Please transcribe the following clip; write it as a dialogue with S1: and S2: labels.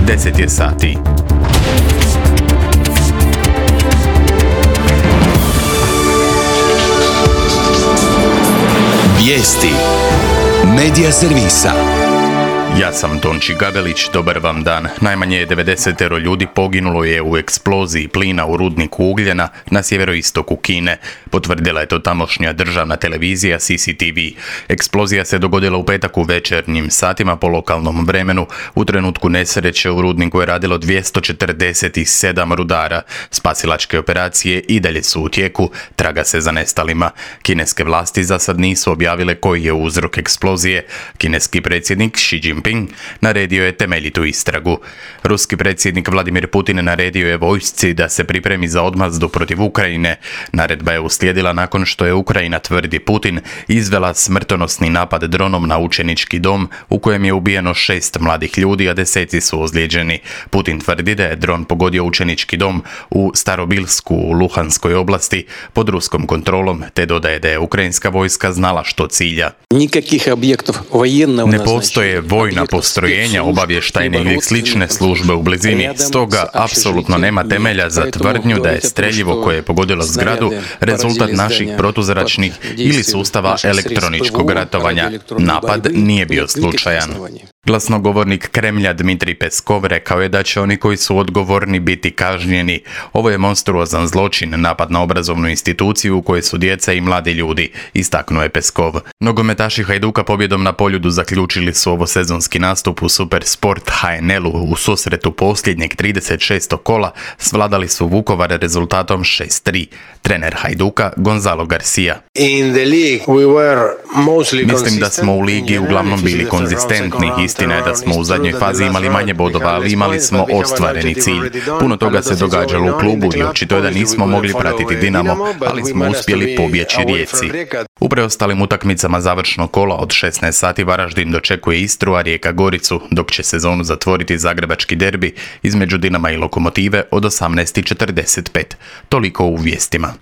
S1: 10 je sati.
S2: Vijesti Medija servisa.
S1: Ja sam Tonči Gabelić, dobar vam dan. Najmanje je 90 ljudi poginulo je u eksploziji plina u rudniku ugljena na sjeveroistoku Kine. Potvrdila je to tamošnja državna televizija CCTV. Eksplozija se dogodila u petak u večernjim satima po lokalnom vremenu. U trenutku nesreće u rudniku je radilo 247 rudara. Spasilačke operacije i dalje su u tijeku, traga se za nestalima. Kineske vlasti za sad nisu objavile koji je uzrok eksplozije. Kineski predsjednik Xi Jinping naredio je temeljitu istragu. Ruski predsjednik Vladimir Putin naredio je vojsci da se pripremi za odmazdu protiv Ukrajine. Naredba je uslijedila nakon što je Ukrajina, tvrdi Putin, izvela smrtonosni napad dronom na učenički dom u kojem je ubijeno 6 mladih ljudi, a deseci su ozlijeđeni. Putin tvrdi da je dron pogodio učenički dom u Starobilsku u Luhanskoj oblasti pod ruskom kontrolom, te dodaje da je ukrajinska vojska znala što cilja. Ne postoje vojna postrojenja, obavještajne ili slične službe u blizini, stoga apsolutno nema temelja za tvrdnju da je streljivo koje je pogodilo zgradu rezultat naših protuzračnih ili sustava elektroničkog ratovanja. Napad nije bio slučajan. Glasnogovornik Kremlja Dmitrij Peskov rekao je da će oni koji su odgovorni biti kažnjeni. Ovo je monstruozan zločin, napad na obrazovnu instituciju u kojoj su djeca i mladi ljudi, istaknuo je Peskov. Nogometaši Hajduka pobjedom na Poljudu zaključili su ovo sezonski nastup u Supersport HNL-u. U susretu posljednjeg 36. kola svladali su Vukovar rezultatom 6-3. Trener Hajduka Gonzalo Garcia. Mislim da smo u ligi uglavnom bili konzistentni. Istina je da smo u zadnjoj fazi imali manje bodova, ali imali smo ostvareni cilj. Puno toga se događalo u klubu i očito je da nismo mogli pratiti Dinamo, ali smo uspjeli pobjeći Rijeci. U preostalim utakmicama završnog kola od 16 sati Varaždin dočekuje Istru, a Rijeka Goricu, dok će sezonu zatvoriti zagrebački derbi između Dinama i Lokomotive od 18:45. Toliko u vijestima.